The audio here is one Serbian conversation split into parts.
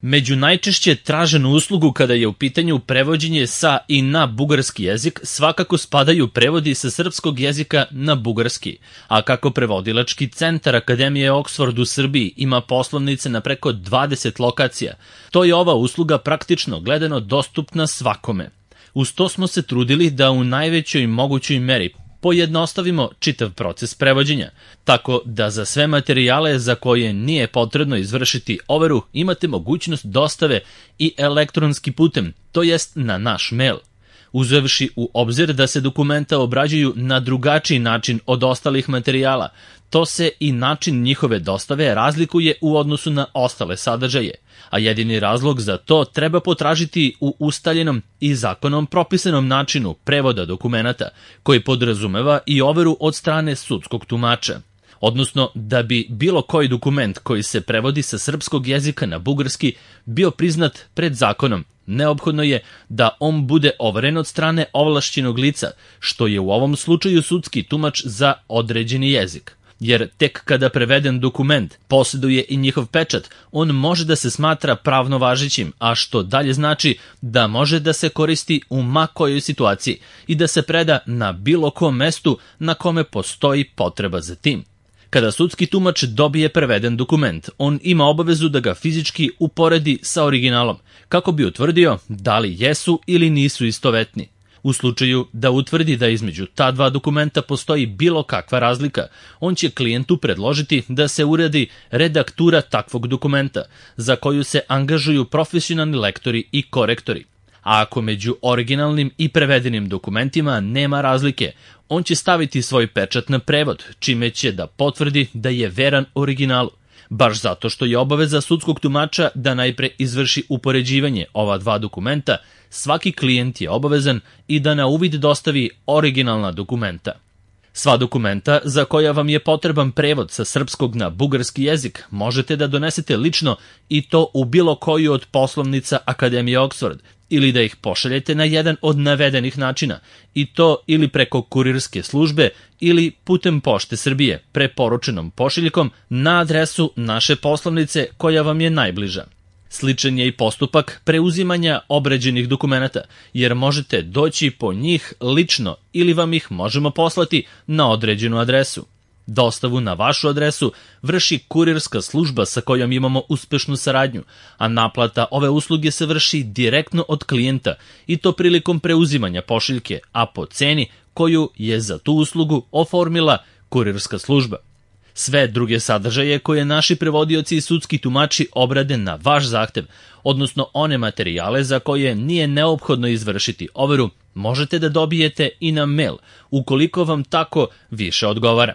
Među najčešće traženu uslugu kada je u pitanju prevođenje sa i na bugarski jezik svakako spadaju prevodi sa srpskog jezika na bugarski, a kako prevodilački centar Akademije Oxford u Srbiji ima poslovnice na preko 20 lokacija, to je ova usluga praktično gledano dostupna svakome. Uz to smo se trudili da u najvećoj mogućoj meri pojednostavimo čitav proces prevođenja, tako da za sve materijale za koje nije potrebno izvršiti overu imate mogućnost dostave i elektronski putem, to jest na naš mail. Uzevši u obzir da se dokumenta obrađuju na drugačiji način od ostalih materijala, to se i način njihove dostave razlikuje u odnosu na ostale sadržaje, a jedini razlog za to treba potražiti u ustaljenom i zakonom propisanom načinu prevoda dokumenata, koji podrazumeva i overu od strane sudskog tumača. Odnosno, da bi bilo koji dokument koji se prevodi sa srpskog jezika na bugarski bio priznat pred zakonom, neophodno je da on bude overen od strane ovlašćenog lica, što je u ovom slučaju sudski tumač za određeni jezik. Jer tek kada preveden dokument posjeduje i njihov pečat, on može da se smatra pravno važećim, a što dalje znači da može da se koristi u ma kojoj situaciji i da se preda na bilo kom mestu na kome postoji potreba za tim. Kada sudski tumač dobije preveden dokument, on ima obavezu da ga fizički uporedi sa originalom, kako bi utvrdio da li jesu ili nisu istovetni. U slučaju da utvrdi da između ta dva dokumenta postoji bilo kakva razlika, on će klijentu predložiti da se uradi redaktura takvog dokumenta, za koju se angažuju profesionalni lektori i korektori. A ako među originalnim i prevedenim dokumentima nema razlike, on će staviti svoj pečat na prevod, čime će da potvrdi da je veran originalu. Baš zato što je obaveza sudskog tumača da najpre izvrši upoređivanje ova dva dokumenta, svaki klijent je obavezan i da na uvid dostavi originalna dokumenta. Sva dokumenta za koja vam je potreban prevod sa srpskog na bugarski jezik možete da donesete lično i to u bilo koju od poslovnica Akademije Oxford, ili da ih pošaljete na jedan od navedenih načina, i to ili preko kurirske službe ili putem Pošte Srbije, preporučenom pošiljkom na adresu naše poslovnice koja vam je najbliža. Sličan je i postupak preuzimanja obrađenih dokumenata, jer možete doći po njih lično ili vam ih možemo poslati na određenu adresu. Dostavu na vašu adresu vrši kurirska služba sa kojom imamo uspešnu saradnju, a naplata ove usluge se vrši direktno od klijenta i to prilikom preuzimanja pošiljke, a po ceni koju je za tu uslugu oformila kurirska služba. Sve druge sadržaje koje naši prevodioci i sudski tumači obrade na vaš zahtev, odnosno one materijale za koje nije neophodno izvršiti overu, možete da dobijete i na mail, ukoliko vam tako više odgovara.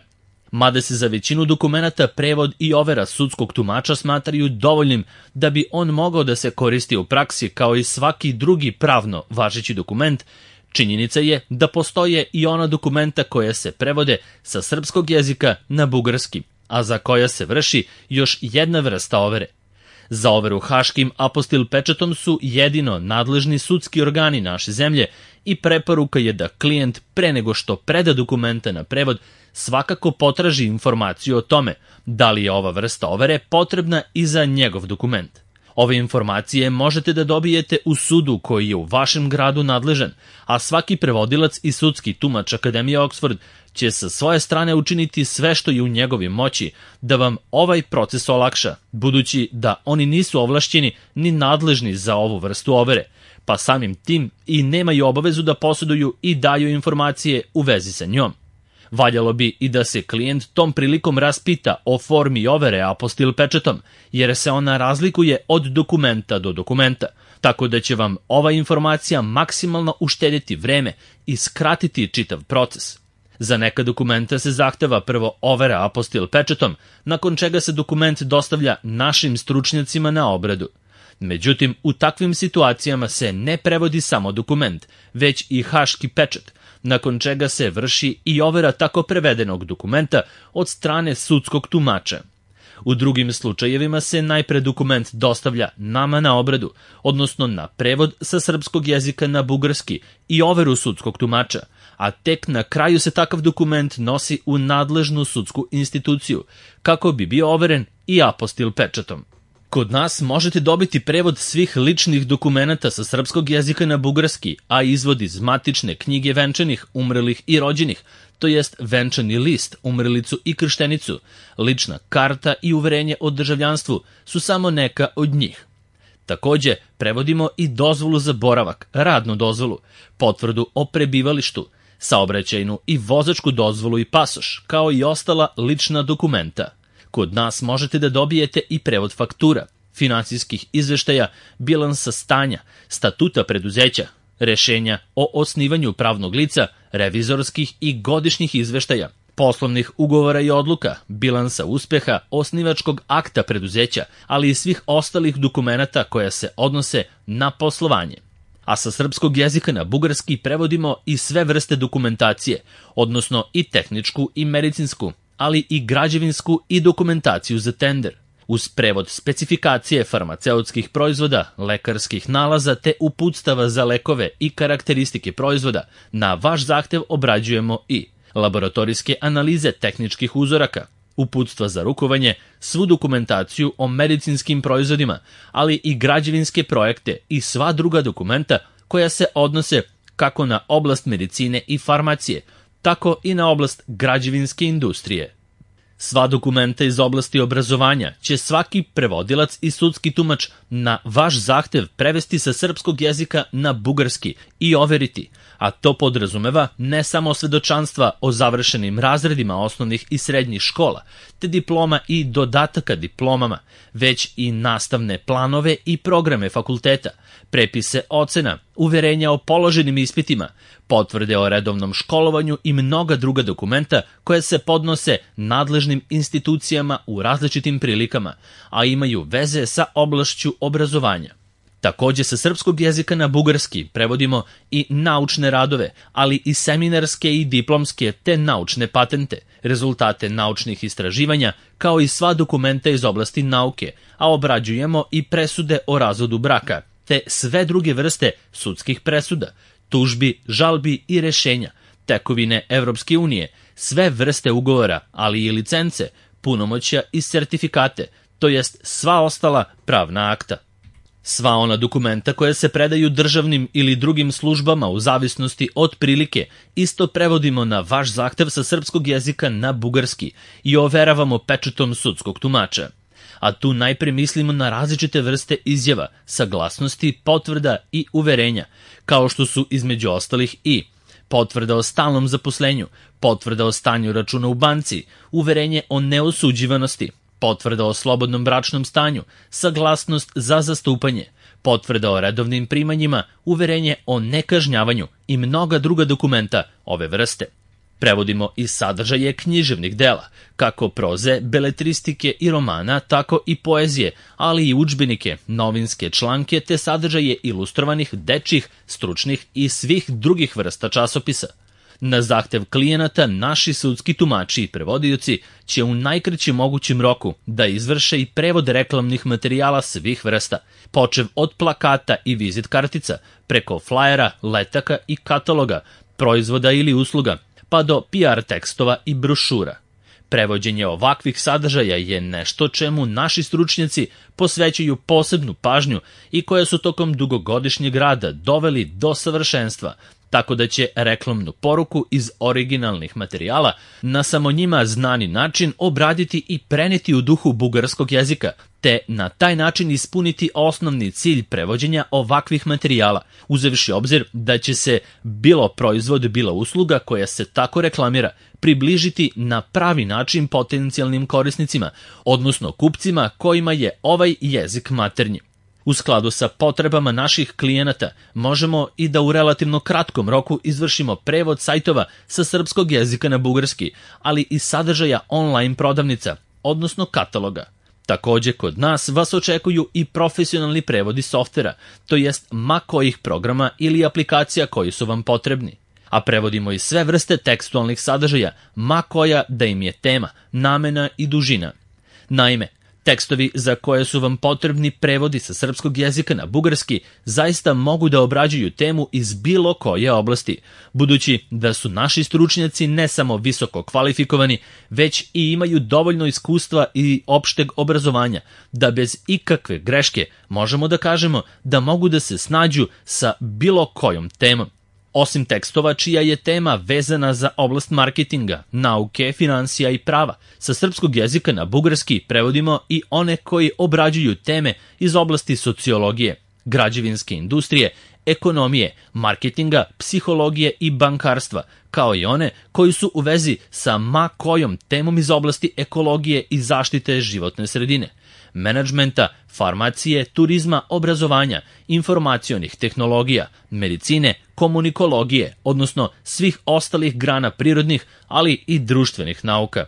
Mada se za većinu dokumenata prevod i overa sudskog tumača smatraju dovoljnim da bi on mogao da se koristi u praksi kao i svaki drugi pravno važeći dokument, činjenica je da postoje i ona dokumenta koja se prevode sa srpskog jezika na bugarski, a za koja se vrši još jedna vrsta overe. Za overu haškim apostil pečatom su jedino nadležni sudski organi naše zemlje i preporuka je da klijent pre nego što preda dokumenta na prevod svakako potraži informaciju o tome da li je ova vrsta overe potrebna i za njegov dokument. Ove informacije možete da dobijete u sudu koji je u vašem gradu nadležan, a svaki prevodilac i sudski tumač Akademije Oxford će sa svoje strane učiniti sve što je u njegovoj moći da vam ovaj proces olakša, budući da oni nisu ovlašćeni ni nadležni za ovu vrstu overe, pa samim tim i nemaju obavezu da posjeduju i daju informacije u vezi sa njom. Valjalo bi i da se klijent tom prilikom raspita o formi overe apostil pečatom, jer se ona razlikuje od dokumenta do dokumenta, tako da će vam ova informacija maksimalno uštedjeti vreme i skratiti čitav proces. Za neka dokumenta se zahteva prvo overa apostil pečatom, nakon čega se dokument dostavlja našim stručnjacima na obradu. Međutim, u takvim situacijama se ne prevodi samo dokument, već i haški pečat, nakon čega se vrši i overa tako prevedenog dokumenta od strane sudskog tumača. U drugim slučajevima se najpre dokument dostavlja nama na obradu, odnosno na prevod sa srpskog jezika na bugarski i overu sudskog tumača, a tek na kraju se takav dokument nosi u nadležnu sudsku instituciju, kako bi bio overen i apostil pečatom. Kod nas možete dobiti prevod svih ličnih dokumenata sa srpskog jezika na bugarski, a izvod iz matične knjige venčanih, umrlih i rođenih, to jest venčani list, umrlicu i krštenicu, lična karta i uverenje o državljanstvu su samo neka od njih. Takođe, prevodimo i dozvolu za boravak, radnu dozvolu, potvrdu o prebivalištu, saobraćajnu i vozačku dozvolu i pasoš, kao i ostala lična dokumenta. Kod nas možete da dobijete i prevod faktura, finansijskih izveštaja, bilansa stanja, statuta preduzeća, rešenja o osnivanju pravnog lica, revizorskih i godišnjih izveštaja, poslovnih ugovora i odluka, bilansa uspeha, osnivačkog akta preduzeća, ali i svih ostalih dokumenata koja se odnose na poslovanje. A sa srpskog jezika na bugarski prevodimo i sve vrste dokumentacije, odnosno i tehničku i medicinsku, ali i građevinsku i dokumentaciju za tender. Uz prevod specifikacije farmaceutskih proizvoda, lekarskih nalaza te uputstava za lekove i karakteristike proizvoda, na vaš zahtev obrađujemo i laboratorijske analize tehničkih uzoraka, uputstva za rukovanje, svu dokumentaciju o medicinskim proizvodima, ali i građevinske projekte i sva druga dokumenta koja se odnose kako na oblast medicine i farmacije, tako i na oblast građevinske industrije. Sva dokumenta iz oblasti obrazovanja će svaki prevodilac i sudski tumač na vaš zahtev prevesti sa srpskog jezika na bugarski i overiti, a to podrazumeva ne samo svedočanstva o završenim razredima osnovnih i srednjih škola, te diploma i dodataka diplomama, već i nastavne planove i programe fakulteta, prepise ocena, uverenja o položenim ispitima, potvrde o redovnom školovanju i mnoga druga dokumenta koje se podnose nadležnim institucijama u različitim prilikama, a imaju veze sa oblašću obrazovanja. Takođe sa srpskog jezika na bugarski prevodimo i naučne radove, ali i seminarske i diplomske te naučne patente, rezultate naučnih istraživanja, kao i sva dokumenta iz oblasti nauke, a obrađujemo i presude o razvodu braka, te sve druge vrste sudskih presuda, tužbi, žalbi i rešenja, tekovine Evropske unije, sve vrste ugovora, ali i licence, punomoćja i sertifikate, to jest sva ostala pravna akta. Sva ona dokumenta koja se predaju državnim ili drugim službama u zavisnosti od prilike isto prevodimo na vaš zahtev sa srpskog jezika na bugarski i overavamo pečatom sudskog tumača. A tu najpre mislimo na različite vrste izjava, saglasnosti, potvrda i uverenja, kao što su između ostalih i potvrda o stalnom zaposlenju, potvrda o stanju računa u banci, uverenje o neosuđivanosti, potvrda o slobodnom bračnom stanju, saglasnost za zastupanje, potvrda o redovnim primanjima, uverenje o nekažnjavanju i mnoga druga dokumenta ove vrste. Prevodimo i sadržaje književnih dela, kako proze, beletristike i romana, tako i poezije, ali i udžbenike, novinske članke te sadržaje ilustrovanih, dečjih, stručnih i svih drugih vrsta časopisa. Na zahtev klijenata naši sudski tumači i prevodioci će u najkraćem mogućem roku da izvrše i prevod reklamnih materijala svih vrsta, počev od plakata i vizit kartica, preko flajera, letaka i kataloga, proizvoda ili usluga, pa do PR tekstova i brošura. Prevođenje ovakvih sadržaja je nešto čemu naši stručnjaci posvećuju posebnu pažnju i koje su tokom dugogodišnjeg rada doveli do savršenstva, tako da će reklamnu poruku iz originalnih materijala na samo njima znani način obraditi i preneti u duhu bugarskog jezika, te na taj način ispuniti osnovni cilj prevođenja ovakvih materijala, uzevši obzir da će se bilo proizvod, bila usluga koja se tako reklamira, približiti na pravi način potencijalnim korisnicima, odnosno kupcima kojima je ovaj jezik maternji. U skladu sa potrebama naših klijenata možemo i da u relativno kratkom roku izvršimo prevod sajtova sa srpskog jezika na bugarski, ali i sadržaja online prodavnica, odnosno kataloga. Takođe, kod nas vas očekuju i profesionalni prevodi softvera, to jest ma kojih programa ili aplikacija koji su vam potrebni. A prevodimo i sve vrste tekstualnih sadržaja, ma koja da im je tema, namena i dužina. Naime, Tekstovi za koje su vam potrebni prevodi sa srpskog jezika na bugarski zaista mogu da obrađuju temu iz bilo koje oblasti, budući da su naši stručnjaci ne samo visoko kvalifikovani, već i imaju dovoljno iskustva i opšteg obrazovanja, da bez ikakve greške možemo da kažemo da mogu da se snađu sa bilo kojom temom. Osim tekstova čija je tema vezana za oblast marketinga, nauke, finansija i prava, sa srpskog jezika na bugarski prevodimo i one koji obrađuju teme iz oblasti sociologije, građevinske industrije, ekonomije, marketinga, psihologije i bankarstva, kao i one koji su u vezi sa ma kojom temom iz oblasti ekologije i zaštite životne sredine, menadžmenta, farmacije, turizma, obrazovanja, informacionih tehnologija, medicine, komunikologije, odnosno svih ostalih grana prirodnih, ali i društvenih nauka.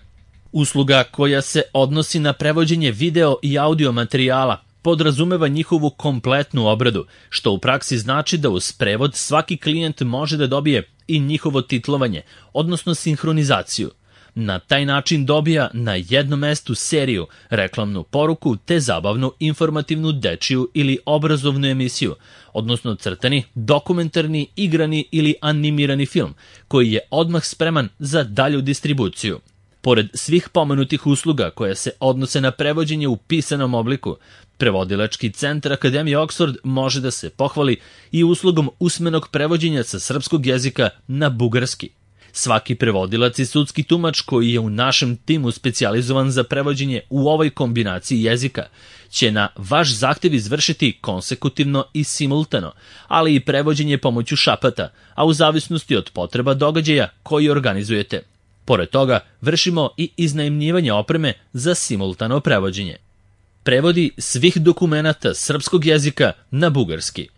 Usluga koja se odnosi na prevođenje video i audio materijala podrazumeva njihovu kompletnu obradu, što u praksi znači da uz prevod svaki klijent može da dobije i njihovo titlovanje, odnosno sinhronizaciju. Na taj način dobija na jednom mestu seriju, reklamnu poruku te zabavnu informativnu dečiju ili obrazovnu emisiju, odnosno crtani, dokumentarni, igrani ili animirani film, koji je odmah spreman za dalju distribuciju. Pored svih pomenutih usluga koje se odnose na prevođenje u pisanom obliku, Prevodilački centar Akademije Oxford može da se pohvali i uslugom usmenog prevođenja sa srpskog jezika na bugarski. Svaki prevodilac i sudski tumač koji je u našem timu specijalizovan za prevođenje u ovoj kombinaciji jezika će na vaš zahtev izvršiti konsekutivno i simultano, ali i prevođenje pomoću šapata, a u zavisnosti od potreba događaja koji organizujete. Pored toga, vršimo i iznajmljivanje opreme za simultano prevođenje. Prevodi svih dokumenata srpskog jezika na bugarski.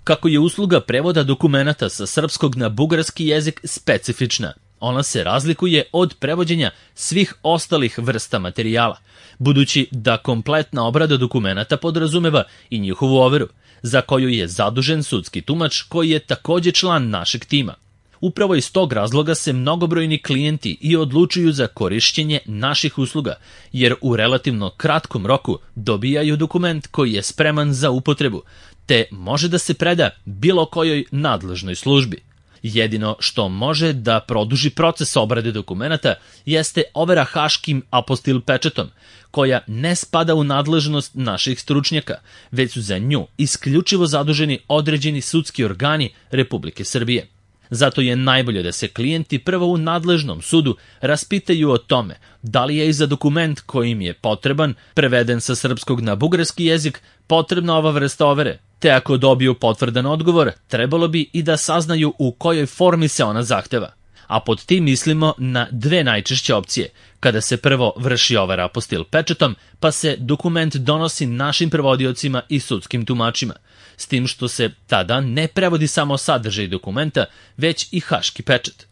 Kako je usluga prevoda dokumenata sa srpskog na bugarski jezik specifična, ona se razlikuje od prevođenja svih ostalih vrsta materijala, budući da kompletna obrada dokumenata podrazumeva i njihovu overu, za koju je zadužen sudski tumač koji je takođe član našeg tima. Upravo iz tog razloga se mnogobrojni klijenti i odlučuju za korišćenje naših usluga, jer u relativno kratkom roku dobijaju dokument koji je spreman za upotrebu, te može da se preda bilo kojoj nadležnoj službi. Jedino što može da produži proces obrade dokumenata jeste overa haškim apostil pečatom, koja ne spada u nadležnost naših stručnjaka, već su za nju isključivo zaduženi određeni sudski organi Republike Srbije. Zato je najbolje da se klijenti prvo u nadležnom sudu raspitaju o tome da li je i za dokument koji im je potreban, preveden sa srpskog na bugarski jezik, potrebna ova vrsta overe, te ako dobiju potvrdan odgovor, trebalo bi i da saznaju u kojoj formi se ona zahteva. A pod tim mislimo na dve najčešće opcije, kada se prvo vrši overa apostil pečatom, pa se dokument donosi našim prevodiocima i sudskim tumačima, s tim što se tada ne prevodi samo sadržaj dokumenta, već i haški pečat.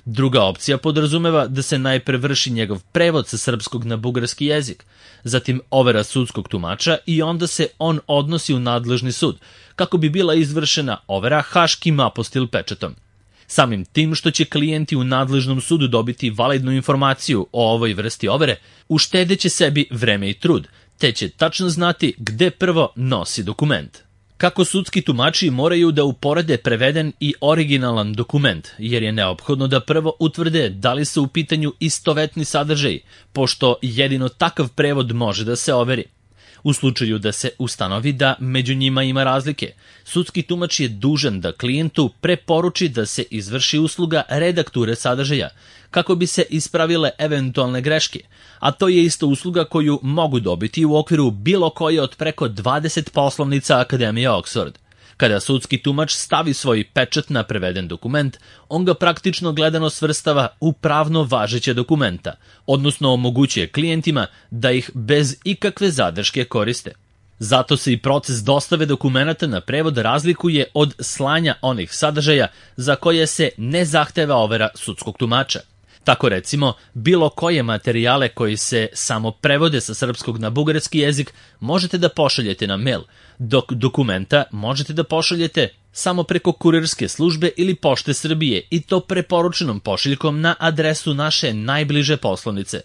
Druga opcija podrazumeva da se najpre vrši njegov prevod sa srpskog na bugarski jezik, zatim overa sudskog tumača i onda se on odnosi u nadležni sud, kako bi bila izvršena overa haškim apostil pečatom. Samim tim što će klijenti u nadležnom sudu dobiti validnu informaciju o ovoj vrsti overe, uštedeće sebi vreme i trud, te će tačno znati gde prvo nosi dokument. Kako sudski tumači moraju da uporede preveden i originalan dokument, jer je neophodno da prvo utvrde da li su u pitanju istovetni sadržaj, pošto jedino takav prevod može da se overi. U slučaju da se ustanovi da među njima ima razlike, sudski tumač je dužan da klijentu preporuči da se izvrši usluga redakture sadržaja, kako bi se ispravile eventualne greške, a to je isto usluga koju mogu dobiti u okviru bilo koje od preko 20 poslovnica Akademije Oxford. Kada sudski tumač stavi svoj pečat na preveden dokument, on ga praktično gledano svrstava u pravno važeće dokumenta, odnosno omogućuje klijentima da ih bez ikakve zadrške koriste. Zato se i proces dostave dokumenata na prevod razlikuje od slanja onih sadržaja za koje se ne zahteva overa sudskog tumača. Tako recimo, bilo koje materijale koji se samo prevode sa srpskog na bugarski jezik možete da pošaljete na mail, dok dokumenta možete da pošaljete samo preko kurirske službe ili Pošte Srbije i to preporučenom pošiljkom na adresu naše najbliže poslovnice.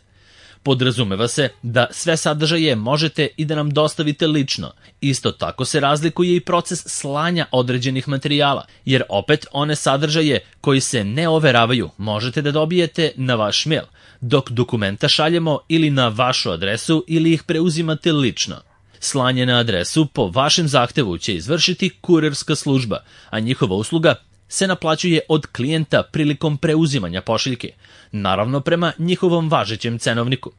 Podrazumeva se da sve sadržaje možete i da nam dostavite lično. Isto tako se razlikuje i proces slanja određenih materijala, jer opet one sadržaje koji se ne overavaju možete da dobijete na vaš mail, dok dokumenta šaljemo ili na vašu adresu ili ih preuzimate lično. Slanje na adresu po vašem zahtevu će izvršiti kurirska služba, a njihova usluga se naplaćuje od klijenta prilikom preuzimanja pošiljke, naravno prema njihovom važećem cenovniku.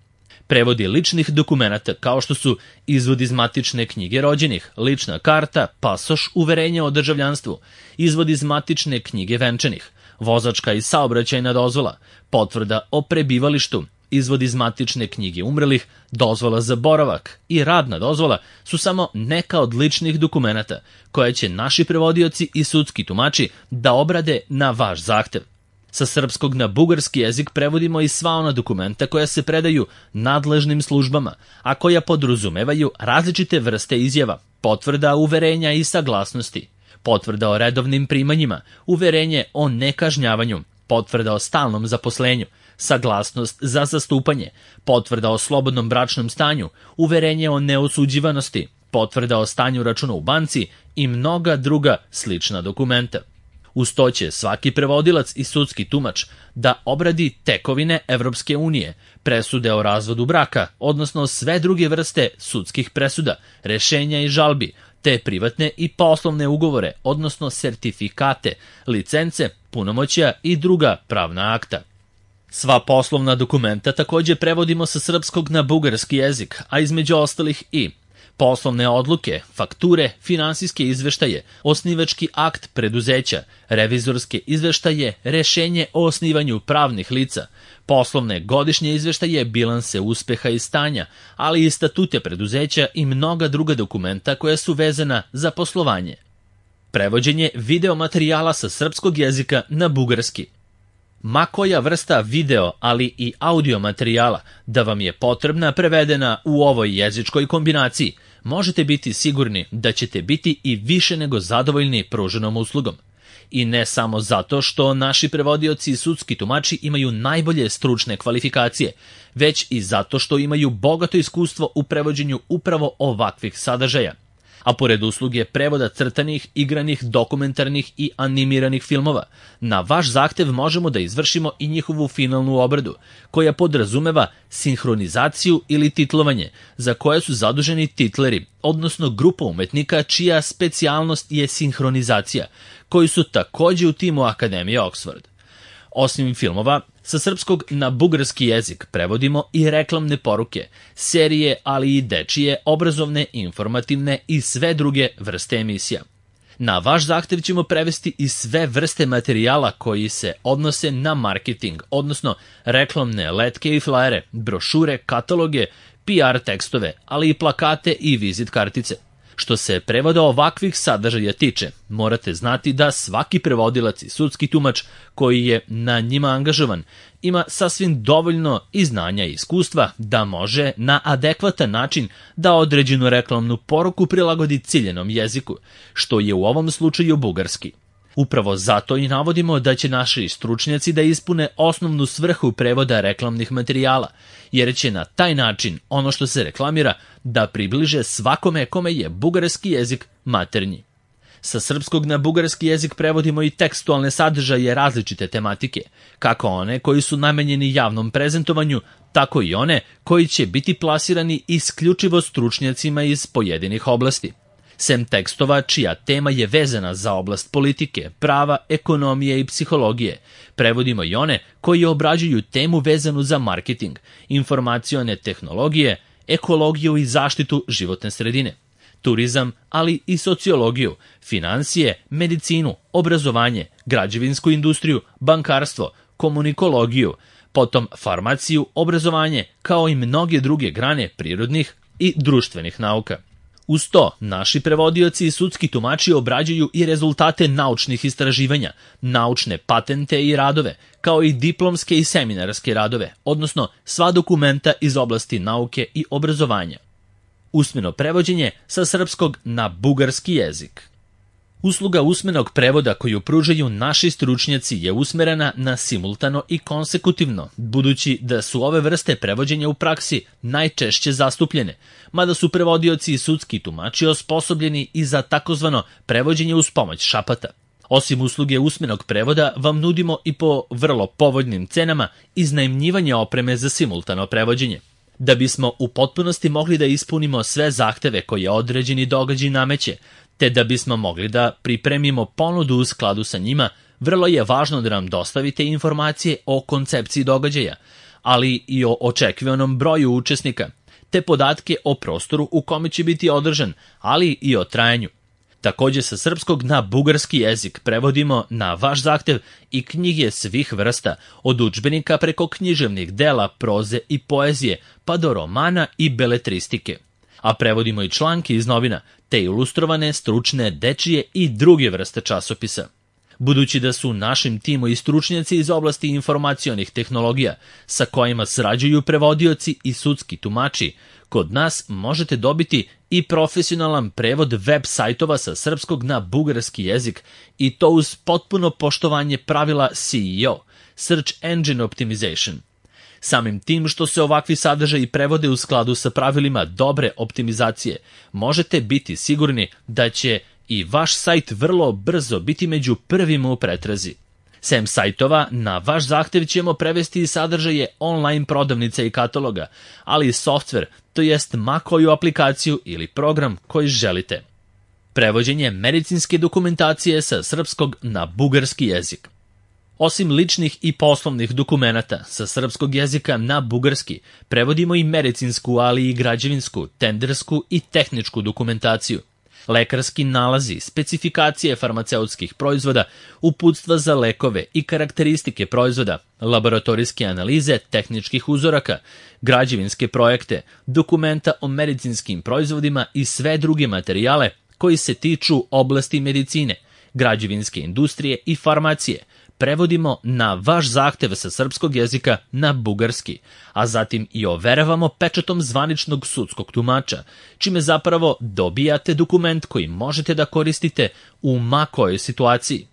Prevodi ličnih dokumenata kao što su izvod iz matične knjige rođenih, lična karta, pasoš, uverenje o državljanstvu, izvod iz matične knjige venčanih, vozačka i saobraćajna dozvola, potvrda o prebivalištu, izvod iz matične knjige umrelih, dozvola za boravak i radna dozvola su samo neka od ličnih dokumenata koje će naši prevodioci i sudski tumači da obrade na vaš zahtev. Sa srpskog na bugarski jezik prevodimo i sva ona dokumenta koja se predaju nadležnim službama, a koja podrazumevaju različite vrste izjava, potvrda, uverenja i saglasnosti, potvrda o redovnim primanjima, uverenje o nekažnjavanju, potvrda o stalnom zaposlenju, saglasnost za zastupanje, potvrda o slobodnom bračnom stanju, uverenje o neosuđivanosti, potvrda o stanju računa u banci i mnoga druga slična dokumenta. Uz to će svaki prevodilac i sudski tumač da obradi tekovine Evropske unije, presude o razvodu braka, odnosno sve druge vrste sudskih presuda, rešenja i žalbi, te privatne i poslovne ugovore, odnosno sertifikate, licence, punomoćja i druga pravna akta. Sva poslovna dokumenta takođe prevodimo sa srpskog na bugarski jezik, a između ostalih i poslovne odluke, fakture, finansijske izveštaje, osnivački akt preduzeća, revizorske izveštaje, rešenje o osnivanju pravnih lica, poslovne godišnje izveštaje, bilanse uspeha i stanja, ali i statute preduzeća i mnoga druga dokumenta koja su vezana za poslovanje. Prevođenje video materijala sa srpskog jezika na bugarski. Ma koja vrsta video, ali i audio materijala da vam je potrebna prevedena u ovoj jezičkoj kombinaciji, možete biti sigurni da ćete biti i više nego zadovoljni pruženom uslugom. I ne samo zato što naši prevodioci i sudski tumači imaju najbolje stručne kvalifikacije, već i zato što imaju bogato iskustvo u prevođenju upravo ovakvih sadržaja. A pored usluge prevoda crtanih, igranih, dokumentarnih i animiranih filmova, na vaš zahtev možemo da izvršimo i njihovu finalnu obradu, koja podrazumeva sinhronizaciju ili titlovanje, za koje su zaduženi titleri, odnosno grupa umetnika čija specijalnost je sinhronizacija, koji su takođe u timu Akademije Oxford. Osim filmova, sa srpskog na bugarski jezik prevodimo i reklamne poruke, serije, ali i dečije, obrazovne, informativne i sve druge vrste emisija. Na vaš zahtev ćemo prevesti i sve vrste materijala koji se odnose na marketing, odnosno reklamne letke i flajere, brošure, kataloge, PR tekstove, ali i plakate i vizit kartice. Što se prevoda ovakvih sadržaja tiče, morate znati da svaki prevodilac i sudski tumač koji je na njima angažovan ima sasvim dovoljno i znanja i iskustva da može na adekvatan način da određenu reklamnu poruku prilagodi ciljenom jeziku, što je u ovom slučaju bugarski. Upravo zato i navodimo da će naši stručnjaci da ispune osnovnu svrhu prevoda reklamnih materijala, jer će na taj način ono što se reklamira da približe svakome kome je bugarski jezik maternji. Sa srpskog na bugarski jezik prevodimo i tekstualne sadržaje različite tematike, kako one koji su namenjeni javnom prezentovanju, tako i one koji će biti plasirani isključivo stručnjacima iz pojedinih oblasti. Sem tekstova čija tema je vezana za oblast politike, prava, ekonomije i psihologije, prevodimo i one koji obrađuju temu vezanu za marketing, informacione tehnologije, ekologiju i zaštitu životne sredine, turizam, ali i sociologiju, finansije, medicinu, obrazovanje, građevinsku industriju, bankarstvo, komunikologiju, potom farmaciju, obrazovanje, kao i mnoge druge grane prirodnih i društvenih nauka. Uz to, naši prevodioci i sudski tumači obrađuju i rezultate naučnih istraživanja, naučne patente i radove, kao i diplomske i seminarske radove, odnosno sva dokumenta iz oblasti nauke i obrazovanja. Usmeno prevođenje sa srpskog na bugarski jezik. Usluga usmenog prevoda koju pružaju naši stručnjaci je usmerena na simultano i konsekutivno, budući da su ove vrste prevođenja u praksi najčešće zastupljene, mada su prevodioci i sudski tumači osposobljeni i za takozvano prevođenje uz pomoć šapata. Osim usluge usmenog prevoda, vam nudimo i po vrlo povoljnim cenama iznajmljivanje opreme za simultano prevođenje. Da bismo u potpunosti mogli da ispunimo sve zahteve koje određeni događaj nameće, te da bismo mogli da pripremimo ponudu u skladu sa njima, vrlo je važno da nam dostavite informacije o koncepciji događaja, ali i o očekivanom broju učesnika, te podatke o prostoru u kome će biti održan, ali i o trajanju. Takođe, sa srpskog na bugarski jezik prevodimo na vaš zahtev i knjige svih vrsta, od udžbenika preko književnih dela, proze i poezije, pa do romana i beletristike. A prevodimo i članke iz novina, te ilustrovane, stručne, dečije i druge vrste časopisa. Budući da su našim timu i stručnjaci iz oblasti informacionih tehnologija, sa kojima sarađuju prevodioci i sudski tumači, kod nas možete dobiti i profesionalan prevod web sajtova sa srpskog na bugarski jezik i to uz potpuno poštovanje pravila SEO, Search Engine Optimization. Samim tim što se ovakvi sadržaji prevode u skladu sa pravilima dobre optimizacije, možete biti sigurni da će i vaš sajt vrlo brzo biti među prvima u pretrazi. Sem sajtova, na vaš zahtev ćemo prevesti i sadržaje online prodavnica i kataloga, ali i softver, to jest ma koju aplikaciju ili program koji želite. Prevođenje medicinske dokumentacije sa srpskog na bugarski jezik. Osim ličnih i poslovnih dokumenata sa srpskog jezika na bugarski, prevodimo i medicinsku, ali i građevinsku, tendersku i tehničku dokumentaciju. Lekarski nalazi, specifikacije farmaceutskih proizvoda, uputstva za lekove i karakteristike proizvoda, laboratorijske analize tehničkih uzoraka, građevinske projekte, dokumenta o medicinskim proizvodima i sve druge materijale koji se tiču oblasti medicine, građevinske industrije i farmacije, prevodimo na vaš zahtev sa srpskog jezika na bugarski, a zatim i overavamo pečatom zvaničnog sudskog tumača, čime zapravo dobijate dokument koji možete da koristite u ma kojoj situaciji.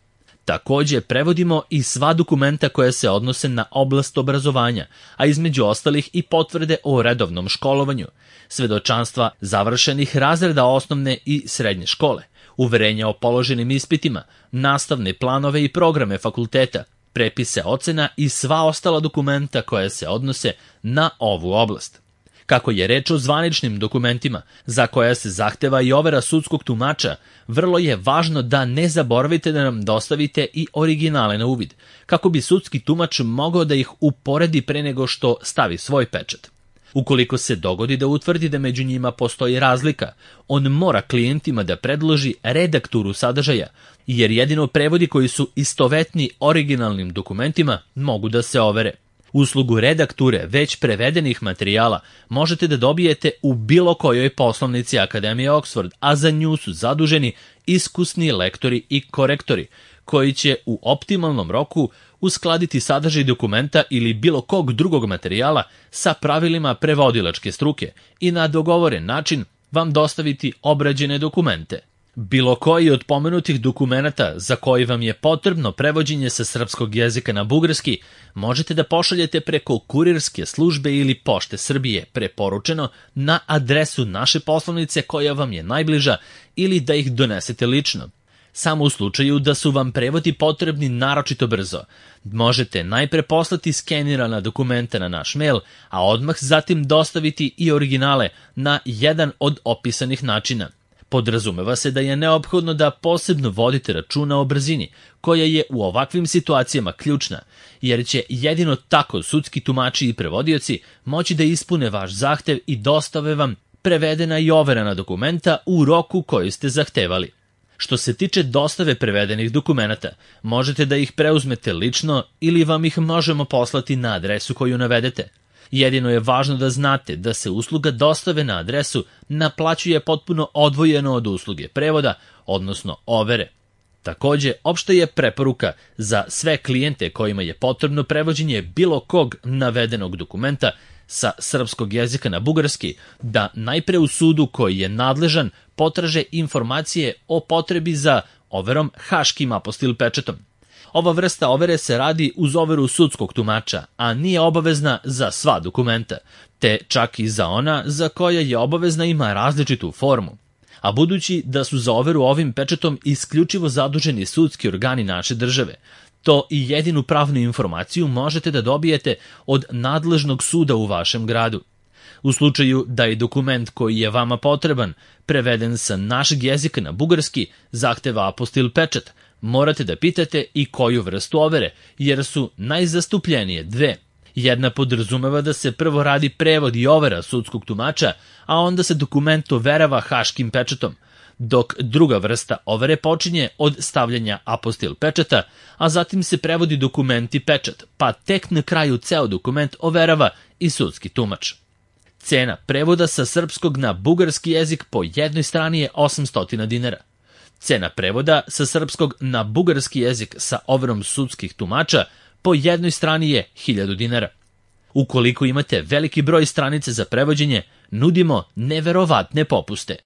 Takođe, prevodimo i sva dokumenta koja se odnose na oblast obrazovanja, a između ostalih i potvrde o redovnom školovanju, svedočanstva završenih razreda osnovne i srednje škole, uverenja o položenim ispitima, nastavne planove i programe fakulteta, prepise ocena i sva ostala dokumenta koja se odnose na ovu oblast. Kako je reč o zvaničnim dokumentima, za koja se zahteva i overa sudskog tumača, vrlo je važno da ne zaboravite da nam dostavite i originale na uvid, kako bi sudski tumač mogao da ih uporedi pre nego što stavi svoj pečat. Ukoliko se dogodi da utvrdi da među njima postoji razlika, on mora klijentima da predloži redakturu sadržaja, jer jedino prevodi koji su istovetni originalnim dokumentima mogu da se overe. Uslugu redakture već prevedenih materijala možete da dobijete u bilo kojoj poslovnici Akademije Oxford, a za nju su zaduženi iskusni lektori i korektori, koji će u optimalnom roku uskladiti sadržaj dokumenta ili bilo kog drugog materijala sa pravilima prevodilačke struke i na dogovoren način vam dostaviti obrađene dokumente. Bilo koji od pomenutih dokumenata za koji vam je potrebno prevođenje sa srpskog jezika na bugarski možete da pošaljete preko kurirske službe ili Pošte Srbije preporučeno na adresu naše poslovnice koja vam je najbliža ili da ih donesete lično. Samo u slučaju da su vam prevodi potrebni naročito brzo, možete najpre poslati skenirana dokumenta na naš mail, a odmah zatim dostaviti i originale na jedan od opisanih načina. Podrazumeva se da je neophodno da posebno vodite računa o brzini, koja je u ovakvim situacijama ključna, jer će jedino tako sudski tumači i prevodioci moći da ispune vaš zahtev i dostave vam prevedena i overena dokumenta u roku koji ste zahtevali. Što se tiče dostave prevedenih dokumenata, možete da ih preuzmete lično ili vam ih možemo poslati na adresu koju navedete. Jedino je važno da znate da se usluga dostave na adresu naplaćuje potpuno odvojeno od usluge prevoda, odnosno overe. Takođe, opšta je preporuka za sve klijente kojima je potrebno prevođenje bilo kog navedenog dokumenta sa srpskog jezika na bugarski, da najpre u sudu koji je nadležan potraže informacije o potrebi za overom haškim apostil pečatom. Ova vrsta overe se radi uz overu sudskog tumača, a nije obavezna za sva dokumenta, te čak i za ona za koja je obavezna ima različitu formu. A budući da su za overu ovim pečatom isključivo zaduženi sudski organi naše države, to i jedinu pravnu informaciju možete da dobijete od nadležnog suda u vašem gradu. U slučaju da je dokument koji je vama potreban preveden sa našeg jezika na bugarski zahteva apostil pečat, morate da pitate i koju vrstu overe, jer su najzastupljenije dve. Jedna podrazumeva da se prvo radi prevod i overa sudskog tumača, a onda se dokument overava haškim pečatom, dok druga vrsta overe počinje od stavljanja apostil pečata, a zatim se prevodi dokument i pečat, pa tek na kraju ceo dokument overava i sudski tumač. Cena prevoda sa srpskog na bugarski jezik po jednoj strani je 800 dinara. Cena prevoda sa srpskog na bugarski jezik sa overom sudskih tumača po jednoj strani je 1000 dinara. Ukoliko imate veliki broj stranice za prevođenje, nudimo neverovatne popuste.